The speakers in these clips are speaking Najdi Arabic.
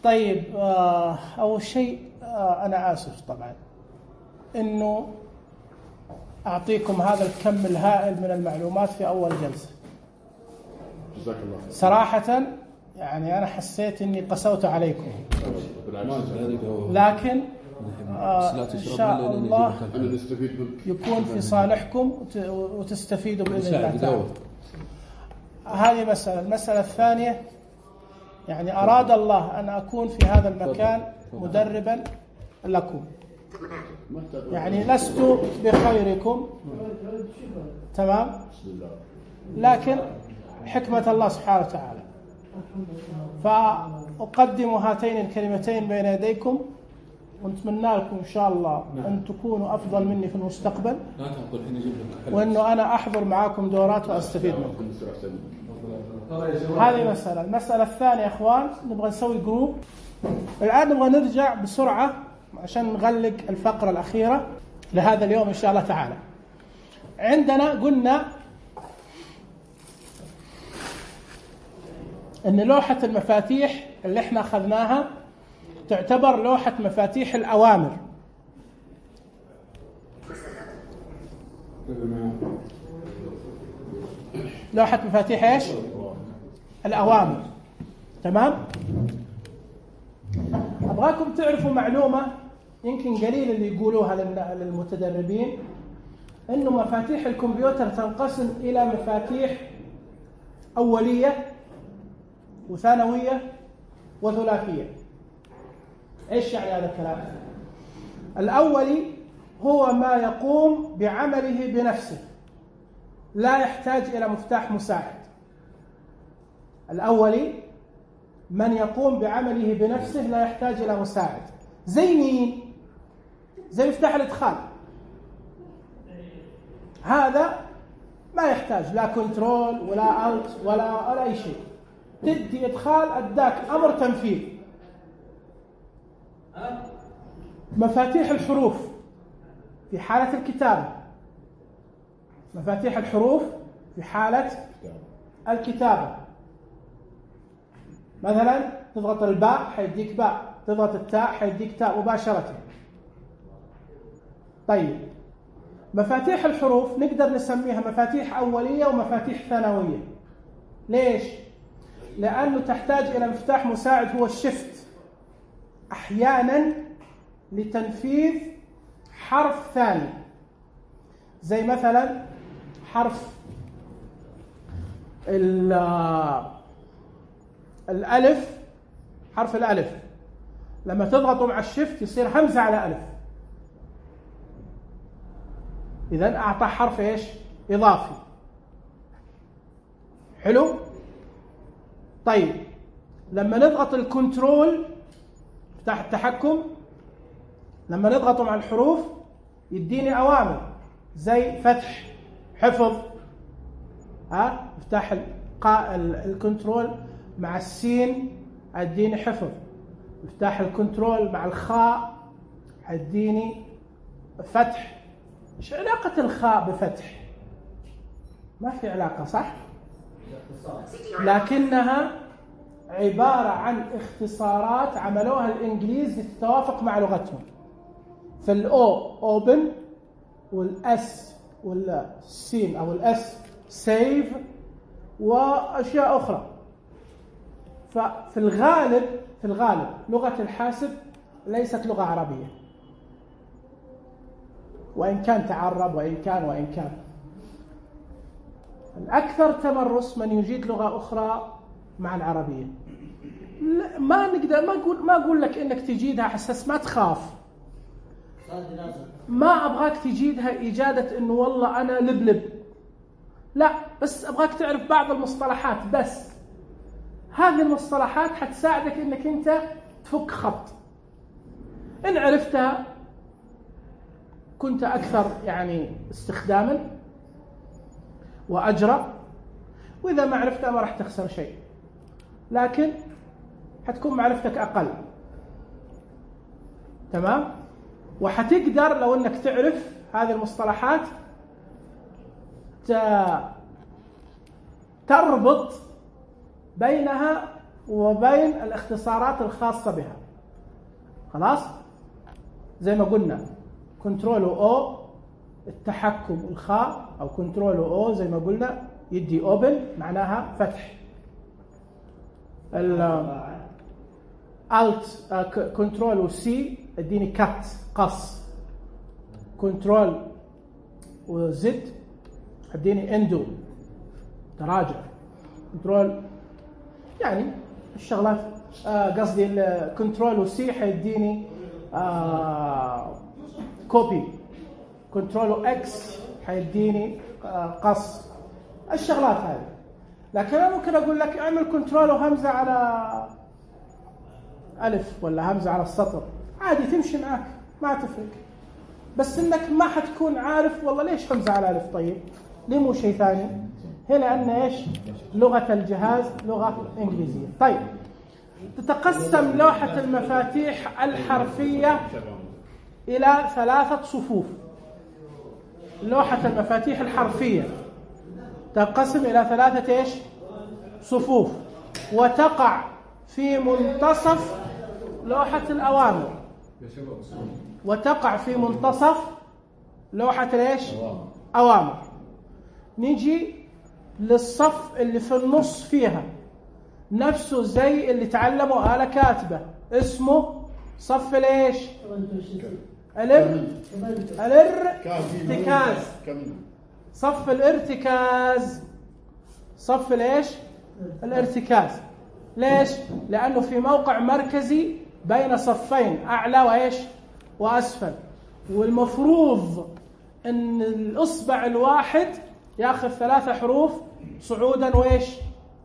طيب أول شيء أنا آسف طبعا إنه أعطيكم هذا الكم الهائل من المعلومات في أول جلسة. جزاك الله. صراحة يعني أنا حسيت إني قسوت عليكم، لكن إن شاء الله يكون في صالحكم وتستفيدوا بإذن الله تعالى. هذه مسألة. المسألة الثانية، يعني أراد الله أن أكون في هذا المكان مدربا لكم، يعني لست بخيركم، تمام، لكن حكمة الله سبحانه وتعالى. فأقدم هاتين الكلمتين بين يديكم، ونتمنى لكم إن شاء الله أن تكونوا أفضل مني في المستقبل، وأنه أنا أحضر معاكم دورات وأستفيد منكم. هذه مسألة. المسألة الثانية أخوان، نبغى نسوي جروب. الآن نبغى نرجع بسرعة عشان نغلق الفقرة الأخيرة لهذا اليوم إن شاء الله تعالى. عندنا قلنا أن لوحة المفاتيح اللي احنا أخذناها تعتبر لوحة مفاتيح الأوامر. لوحة مفاتيح ايش؟ الأوامر. تمام؟ أبغاكم تعرفوا معلومة يمكن قليل اللي يقولوها للمتدربين، إنه مفاتيح الكمبيوتر تنقسم إلى مفاتيح أولية وثانوية وثلاثية. إيش يعني هذا الكلام؟ الأولي هو ما يقوم بعمله بنفسه، لا يحتاج إلى مفتاح مساعد. الأولي من يقوم بعمله بنفسه لا يحتاج إلى مساعد. زي مين؟ زي مفتاح الإدخال، هذا ما يحتاج لا كنترول ولا ألت ولا أي شيء. تدي إدخال أداك أمر تنفيذ. مفاتيح الحروف في حالة الكتابة، مفاتيح الحروف في حالة الكتابة، مثلا تضغط الباء حيديك باء، تضغط التاء حيديك تاء مباشرة. طيب مفاتيح الحروف نقدر نسميها مفاتيح أولية ومفاتيح ثانوية. ليش؟ لأنه تحتاج إلى مفتاح مساعد هو الشفت أحيانا لتنفيذ حرف ثاني، زي مثلا حرف الألف. حرف الألف لما تضغطوا مع الشفت يصير همزة على ألف، إذن أعطى حرف إيش؟ إضافي. حلو؟ طيب لما نضغط الكنترول مفتاح التحكم، لما نضغطه مع الحروف يديني أوامر زي فتح، حفظ. مفتاح الكنترول مع السين هيديني حفظ، مفتاح الكنترول مع الخاء هيديني فتح. ايش علاقة الخاء بفتح؟ ما في علاقة، صح؟ لكنها عبارة عن اختصارات عملوها الإنجليز لتتوافق مع لغتهم. فالأو أوبن، والأس والسين أو الأس سيف، وأشياء أخرى. ففي الغالب لغة الحاسب ليست لغة عربية، وإن كان تعرب وإن كان الأكثر تمرس من يجيد لغة أخرى مع العربية. ما نقدر ما أقول لك إنك تجيدها حساس، ما تخاف، ما أبغاك تجيدها إجادة إنه والله أنا لبلب، لا، بس أبغاك تعرف بعض المصطلحات بس. هذه المصطلحات حتساعدك إنك أنت تفك خط. إن عرفتها كنت أكثر يعني استخداما وأجرى، وإذا ما عرفتها ما راح تخسر شيء، لكن حتكون معرفتك أقل. تمام؟ وحتقدر لو أنك تعرف هذه المصطلحات تربط بينها وبين الاختصارات الخاصة بها. خلاص؟ زي ما قلنا كنترول او التحكم الخاء، أو كنترول او زي ما قلنا يدي اوبن معناها فتح. الت كنترول سي اديني كات قص. كنترول وزد اديني اندو تراجع. كنترول يعني الشغلات قصدي الكنترول وسي حيديني كوبي. كنترول اكس حيديني قص. الشغلات هذه. لكن انا ممكن اقول لك اعمل كنترول وهمزه على الف ولا همزه على السطر، عادي تمشي معك ما تفرق، بس انك ما حتكون عارف والله ليش همزه على الف. طيب ليه مو شيء ثاني؟ هي لان ايش؟ لغه الجهاز لغه انجليزيه. طيب تتقسم لوحه المفاتيح الحرفيه الى 3 صفوف. لوحه المفاتيح الحرفيه تنقسم إلى 3 إيش؟ صفوف، وتقع في منتصف لوحة الأوامر. وتقع في منتصف لوحة الإيش؟ أوامر. نيجي للصف اللي في النص فيها، نفسه زي اللي تعلموا آلة كاتبة، اسمه صف الإيش؟ الارتكاز. صف الارتكاز. صف الايش؟ الارتكاز. ليش؟ لانه في موقع مركزي بين صفين اعلى وايش؟ واسفل، والمفروض ان الاصبع الواحد ياخذ 3 حروف صعودا وايش؟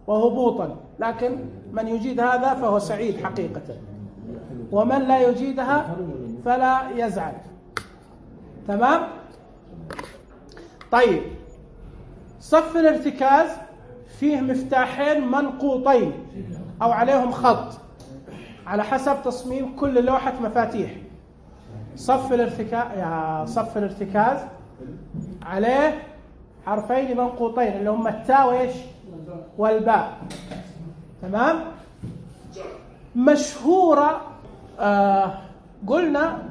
وهبوطا، لكن من يجيد هذا فهو سعيد حقيقة، ومن لا يجيدها فلا يزعل. تمام؟ طيب صف الارتكاز فيه مفتاحين منقوطين أو عليهم خط على حسب تصميم كل لوحة مفاتيح. صف الارتكاز عليه حرفين منقوطين اللي هم التاء وايش؟ والباء. تمام؟ مشهورة قلنا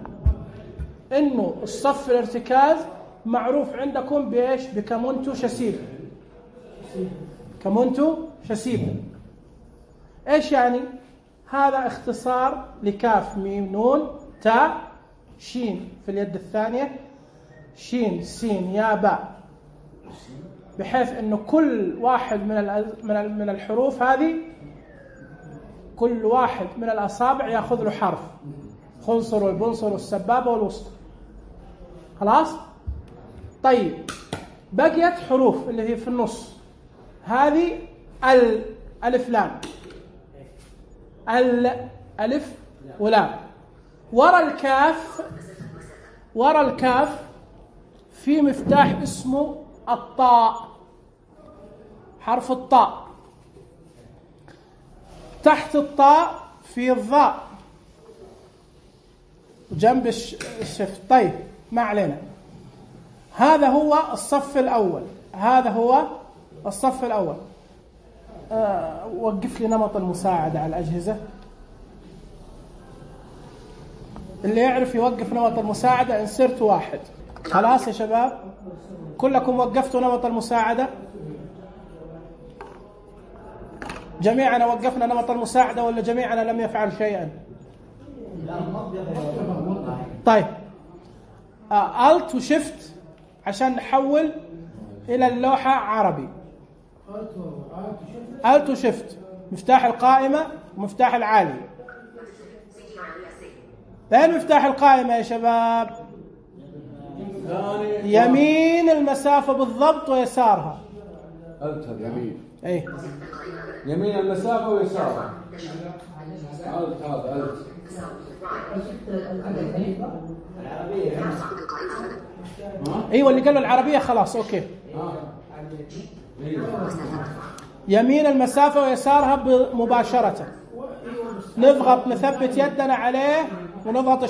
إنه الصف الارتكاز معروف عندكم بإيش؟ بكمونتو شسيب. كمونتو شسيب إيش يعني؟ هذا اختصار لكاف ميم نون تاء شين في اليد الثانية، شين سين يا باء، بحيث إنه كل واحد من الحروف هذه، كل واحد من الأصابع يأخذ له حرف، خنصر والبنصر والسبابة والوسطى. خلاص؟ طيب بقيت حروف اللي هي في النص، هذه الألف لام، الألف ولام. ورا الكاف في مفتاح اسمه الطاء، حرف الطاء. تحت الطاء في الظاء جنب الشفت. طيب ما علينا، هذا هو الصف الأول. وقف لي نمط المساعدة على الأجهزة. اللي يعرف يوقف نمط المساعدة انسرت 1. خلاص يا شباب كلكم وقفتوا نمط المساعدة؟ جميعنا وقفنا نمط المساعدة ولا جميعنا لم يفعل شيئا؟ طيب Alt وشفت عشان نحول إلى اللوحة عربي. Alt وشفت مفتاح القائمة ومفتاح العالي. فين مفتاح القائمة يا شباب؟ يمين المسافة بالضبط ويسارها. يمين. ايه يمين المسافة ويسارها. هذا ايوه اللي قالوا العربية خلاص اوكي. يمين المسافة ويسارها مباشرة. نضغط نثبت يدنا عليه ونضغط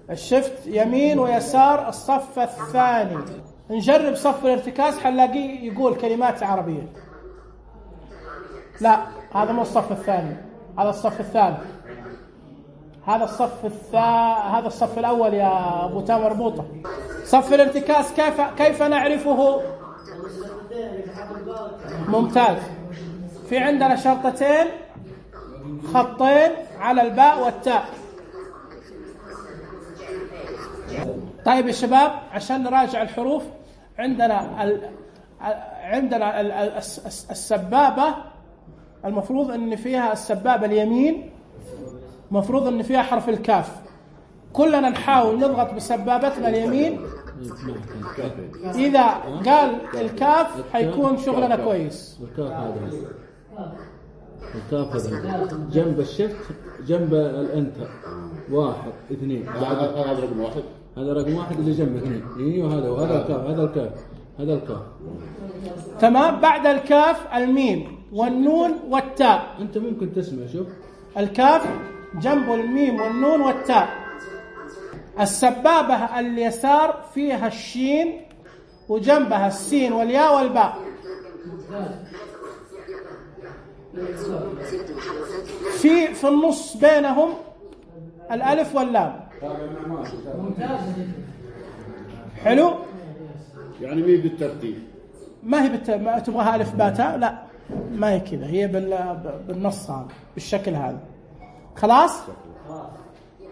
الشفت يمين ويسار الصف الثاني. نجرب صف الارتكاز حنلاقيه يقول كلمات عربية. لا هذا مو الصف الثاني، هذا الصف الثالث، هذا الصف الأول يا أبو تامر مربوطة. صف الارتكاز كيف نعرفه؟ ممتاز. في عندنا شرطتين، خطين على الباء والتاء. طيب يا شباب عشان نراجع الحروف، عندنا السبابة المفروض ان فيها السبابة اليمين، مفروض ان فيها حرف الكاف. كلنا نحاول نضغط بسبابتنا اليمين، اذا قال الكاف حيكون شغلنا كويس. الكاف هذا جنب الشفت، جنب الانتر 1 2. هذا رقم 1. هذا رقم 1 اللي جنب 2. ايوه هذا الكاف، هذا الكاف. تمام. بعد الكاف الميم والنون والتاء. انت ممكن تسمع، شوف الكاف جنب الميم والنون والتاء. السبابة اليسار فيها الشين وجنبها السين والياء والباء. في النص بينهم الألف واللام. حلو. يعني مين بالترتيب؟ ما هي ما تبغاها ألف باء تاء، لا ما هي كذا، هي بالنص هذا بالشكل هذا. خلاص.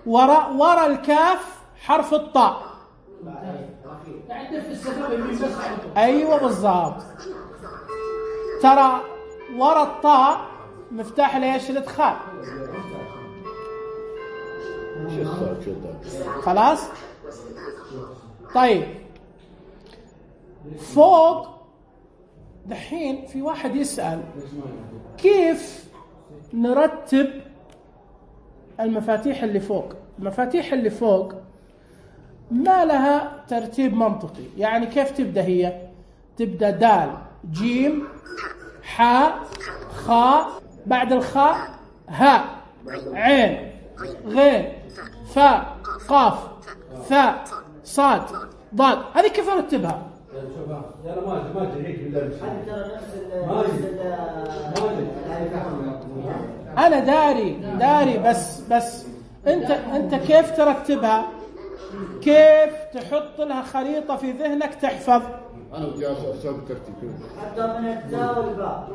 ورا الكاف حرف الطاء. ايوه بالضبط. ترى ورا الطاء مفتاح ليش؟ الادخال. خلاص. طيب فوق دحين في واحد يسأل كيف نرتب المفاتيح اللي فوق. المفاتيح اللي فوق ما لها ترتيب منطقي. يعني كيف تبدأ؟ هي تبدأ دال جيم حاء خاء، بعد الخاء هاء عين غين فاء قاف ثاء صاد ضاد. هذه كيف نرتبها؟ أنا داري بس أنت كيف ترتبها؟ كيف تحط لها خريطة في ذهنك تحفظ؟ أنا بدي أسوي ترتيب حتى من التاء والباء.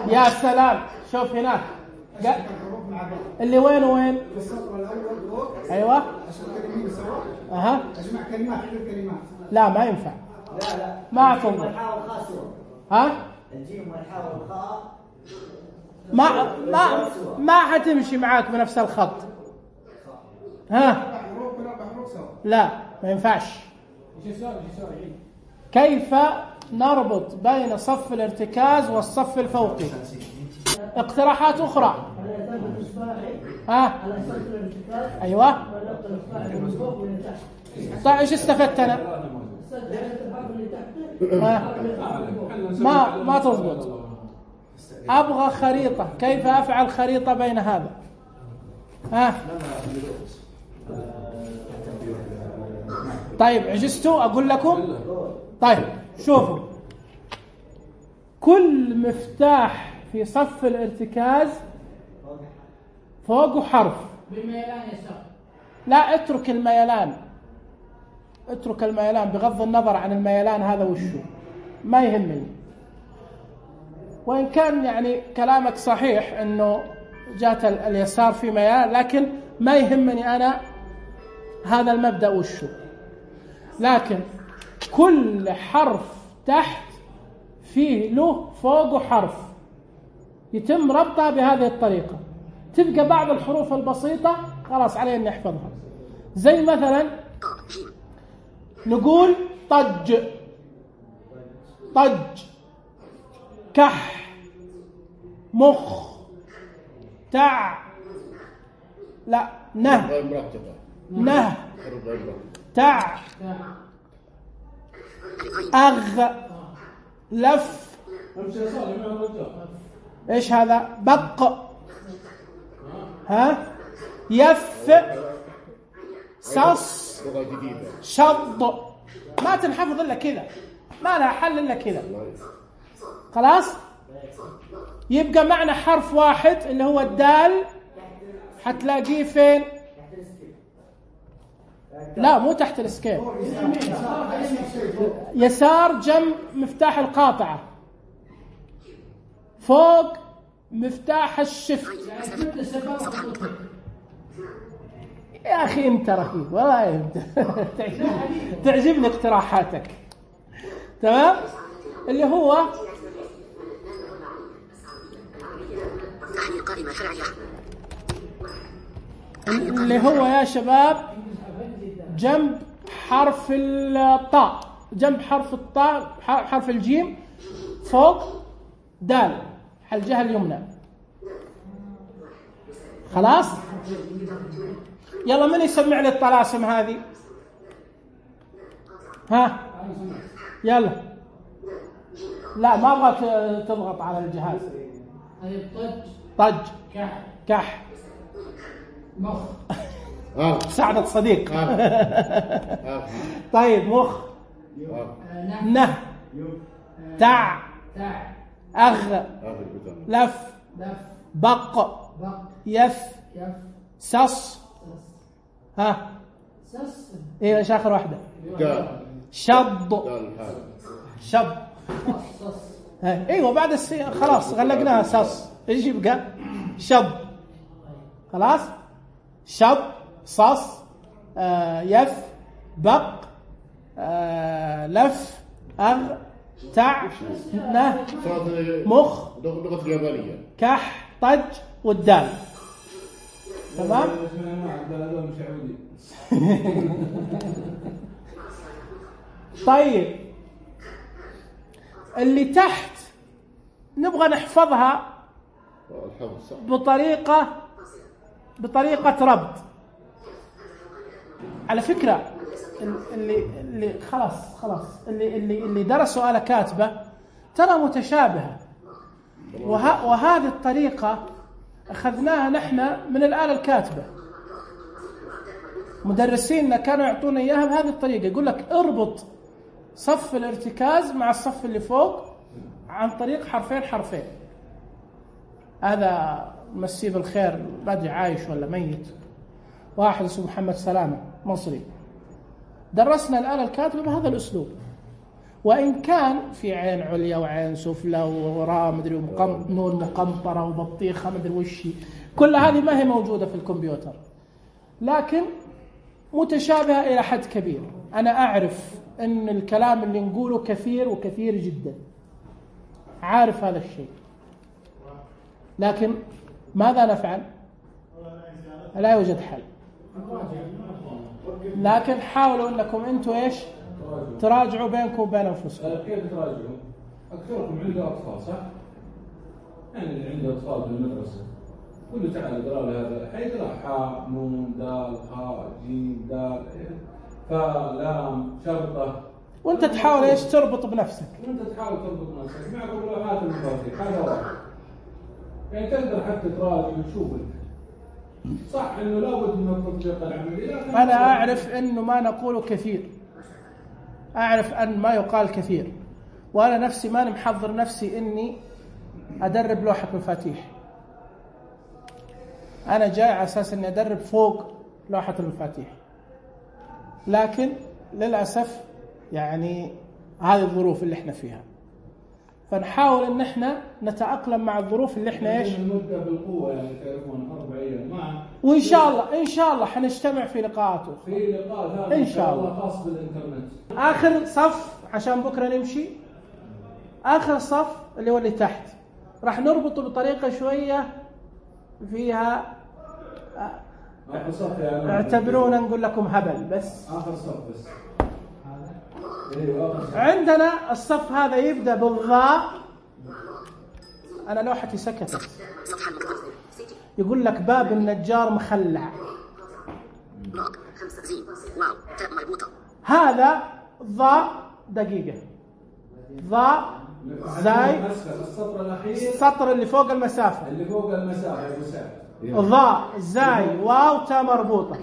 يا سلام. شوف هناك اللي وين السطر الأول فوق. أيوة. أجمع كلمات سوا. أجمع كلمات حدود كلمات. لا ما ينفع. لا ما تنظر. الحاء والخاء سوا. ها؟ الجيم والحاء والخاء ما حتمشي معاك بنفس الخط. ها؟ لا ما ينفعش. كيف نربط بين صف الارتكاز والصف الفوقي؟ اقتراحات أخرى. ها؟ أيوة. طيب إيش استفدت أنا؟ ما تضبط. أبغى خريطة. كيف أفعل خريطة بين هذا؟ ها؟ طيب عجزتوا أقول لكم؟ طيب شوفوا، كل مفتاح في صف الارتكاز فوقه حرف بالميلان يسار. لا اترك الميلان بغض النظر عن الميلان هذا وشو، ما يهمني. وإن كان يعني كلامك صحيح أنه جات اليسار في ميلان، لكن ما يهمني أنا هذا المبدأ وشو. لكن كل حرف تحت فيه له فوقه حرف، يتم ربطها بهذه الطريقة. تبقى بعض الحروف البسيطة خلاص علينا نحفظها. زي مثلا نقول طج كح مخ تع لا نه تع أغ لف. إيش هذا؟ بق. ها؟ يف صص شض. ما تنحفظ إلا كذا، ما لها حل إلا كذا. خلاص. يبقى معنا حرف واحد اللي هو الدال. حتلاقيه فين؟ لا مو تحت الاسكيب، يسار جنب مفتاح القاطعة، فوق مفتاح الشفت. يا أخي أنت رهيب والله، أنت تعجبني اقتراحاتك. تمام؟ اللي هو يا شباب جنب حرف الطاء، جنب حرف الطاء حرف الجيم فوق دال على الجهة اليمنى. خلاص؟ يلا من يسمع لي الطلاسم هذه؟ ها يلا. لا ما ابغى تضغط على الجهاز. طج، كح، مخ، سعدة صديق. طيب مخ، نه، تع، أغ، لف، بق، يف، سص، ها ايه ايش اخر واحدة؟ شض، شض. ايوه بعد خلاص غلقناها سص. ايش يبقى؟ شض. خلاص؟ شض، صص، يف، بق، لف، أغ، تع، نه، مخ، كح، طج، والدال. تمام؟ طيب اللي تحت نبغى نحفظها بطريقة ربط. على فكرة اللي خلاص اللي درسوا آلة كاتبة ترى متشابهة، وهذه الطريقة أخذناها نحن من الآلة الكاتبة. مدرسيننا كانوا يعطونا إياها بهذه الطريقة، يقول لك اربط صف الارتكاز مع الصف اللي فوق عن طريق حرفين. هذا مسيه بالخير، بدري عايش ولا ميت، واحد اسمه محمد سلامة مصري، درسنا الآلة الكاتبة بهذا الأسلوب. وإن كان في عين عليا وعين سفلى وراء مدري نون مقنطرة وبطيخة مدري وشي، كل هذه ما هي موجودة في الكمبيوتر، لكن متشابهة إلى حد كبير. أنا أعرف أن الكلام اللي نقوله كثير وكثير جدا، عارف هذا الشيء، لكن ماذا نفعل؟ لا يوجد حل. لكن حاولوا أنكم أنتم إيش تراجعوا بينكم وبين أنفسكم. كيف تراجعوا؟ أكثركم عنده أطفال صح؟ يعني اللي عنده أطفال في المدرسة كله تعال قرأ له هذا، حيقرأ حاء نون دال هاء جيم دال فاء لام شرطة، وأنت تحاول إيش تربط بنفسك. وأنت تحاول تربط بنفسك مع ملاحظات المفاتيح. هذا واحد. يعني تقدر حتى تراجع وتشوف. صح إنه لابد من التطبيق العملي. أنا أعرف إنه ما نقوله كثير، أعرف أن ما يقال كثير، وأنا نفسي ما محضر نفسي إني أدرب لوحة مفاتيح. أنا جاي على أساس إني أدرب فوق لوحة المفاتيح، لكن للأسف يعني هذه الظروف اللي إحنا فيها، فنحاول إن إحنا نتأقلم مع الظروف اللي إحنا إيش. نبدأ بالقوة يعني تعرفون 4 أيام معه. وإن شاء الله حنجتمع في لقاءات أخرى. في لقاء هذا إن شاء الله خاص بالإنترنت. آخر صف عشان بكرة نمشي، آخر صف اللي هو اللي تحت راح نربطه بطريقة شوية فيها اعتبرونا نقول لكم هبل، بس آخر صف بس. عندنا الصف هذا يبدأ بالضاء. أنا لوحتي سكتت. يقول لك باب النجار مخلع. هذا ضاء دقيقة، ضاء زاي السطر اللي فوق المسافة، اللي فوق المسافة ضاء زاي واو تاء مربوطة.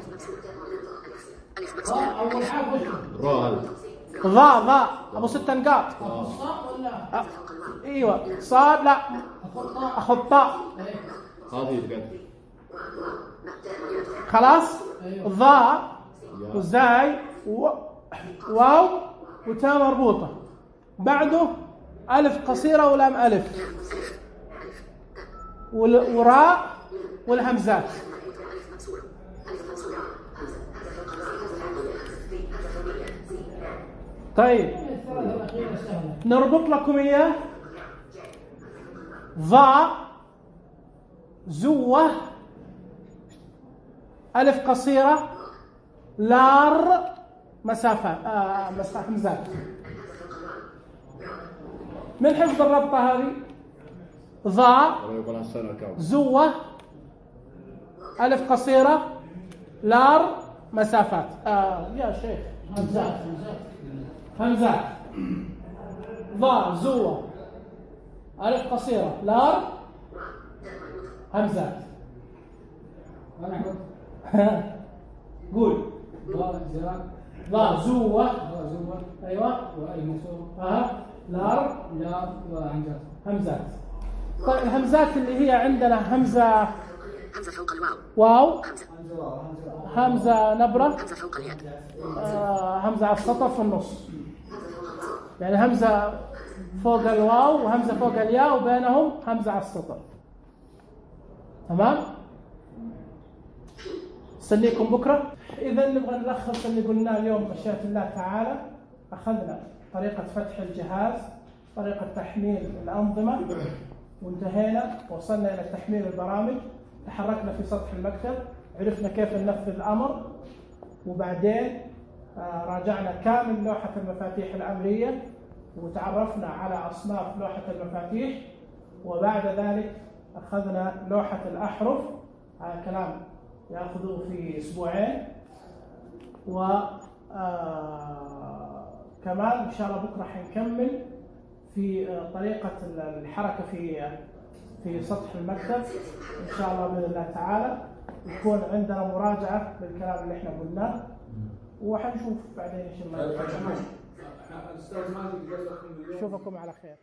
ضاء ابو 6 نقاط. الصاء ولا ايوه صاد لا اخذ طاء هذه القدر. خلاص. ضاء وزاي واو وتاء مربوطه بعده الف قصيره ولام الف وراء والهمزات. طيب نربط لكم اياه. ضاء زوة ألف قصيرة لار مسافة همزات. من حفظ الربطة هذه ضاء زوة ألف قصيرة لار مسافات. يا شيخ همزات ضاء زوة ألف قصيرة لار همزات. قول ضاء زوة أيوة لار وهمزات. همزات. طيب الهمزات اللي هي عندنا همزة فوق الواو واو همزة نبرة همزة على السطر في النص يعني همزة فوق الواو وهمزة فوق الياء وبينهم همزة على السطر. تمام. استنيكم بكرة. إذا نبغى نلخص اللي قلناه اليوم مشيئة الله تعالى. أخذنا طريقة فتح الجهاز طريقة تحميل الأنظمة وانتهينا وصلنا إلى تحميل البرامج. تحركنا في سطح المكتب عرفنا كيف ننفذ الأمر وبعدين راجعنا كامل لوحة المفاتيح الأمرية وتعرفنا على أصناف لوحة المفاتيح وبعد ذلك أخذنا لوحة الأحرف. هذا كلام يأخذه في أسبوعين كمان إن شاء الله بكرة حنكمل في طريقة الحركة في سطح المكتب إن شاء الله بإذن الله تعالى. يكون عندنا مراجعة للكلام اللي احنا قلناه وحنشوف بعدين إن شاء الله. نشوفكم على خير.